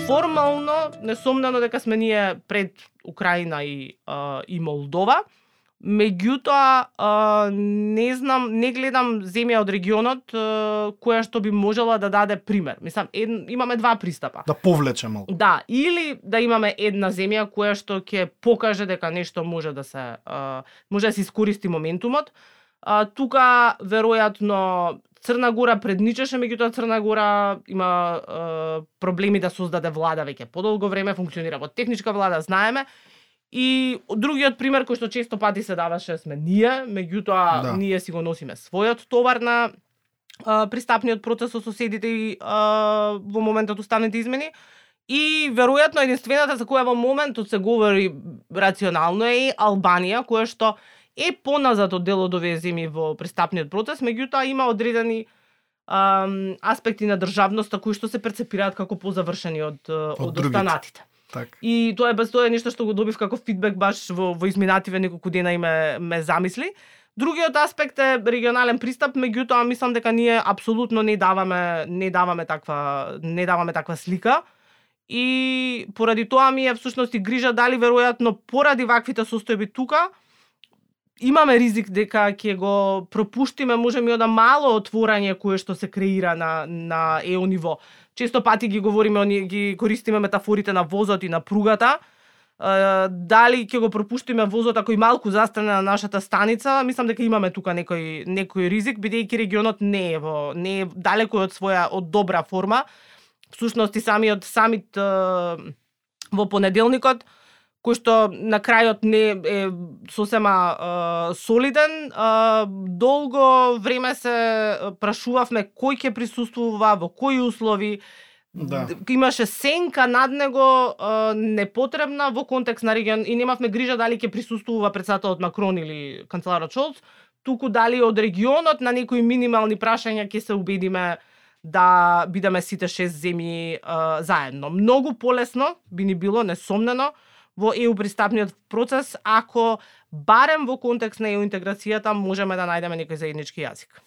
формално, несомнено дека сме ние пред Украина и Молдова. Меѓутоа, не знам, не гледам земја од регионот која што би можела да даде пример. Мислам, имаме два пристапа. Да повлече малку. Да, или да имаме една земја која што ќе покаже дека нешто може да се искористи моментумот. Тука веројатно Црна Гора предничеше, меѓутоа Црна Гора има проблеми да создаде влада веќе подолго време, функционира во техничка влада, знаеме. И другиот пример кој што често пати се даваше сме ние, меѓутоа ние си го носиме својот товар на пристапниот процес со соседите и во моментот уставните измени. И веројатно единствената за која во моментот се говори рационално е Албанија, која што е поназад од дел од овие земји во пристапниот процес, меѓутоа има одредени аспекти на државноста кои што се перцепираат како позавршени од останатите. Так. И тоа е нешто што го добив како фидбек баш во изминативе неколку дена и ме замисли. Другиот аспект е регионален пристап, меѓутоа мислам дека ние апсолутно не даваме таква слика. И поради тоа ми е всушност и грижа дали веројатно поради ваквите состојби тука имаме ризик дека ќе го пропуштиме можеби од мало отворање кое што се креира на ЕО ниво. Често пати ги говориме, ги користиме метафорите на возот и на пругата. Дали ќе го пропуштиме возот ако и малку застане на нашата станица, мислам дека имаме тука некој ризик, бидејќи регионот не е далеко од добра форма. Всушност и самиот самит во понеделникот, кој што на крајот не е сосема солиден, долго време се прашувавме кој ќе присуствува, во кои услови. Да. Имаше сенка над него непотребна во контекст на регион и немавме грижа дали ќе присуствува председателот Макрон или канцеларот Шолц, туку дали од регионот на некои минимални прашања ќе се убедиме да бидеме сите 6 земји заедно. Многу полесно би ни било, несомнено, во ЕУ пристапниот процес, ако барем во контекст на ЕУ интеграцијата можеме да најдеме некој заеднички јазик.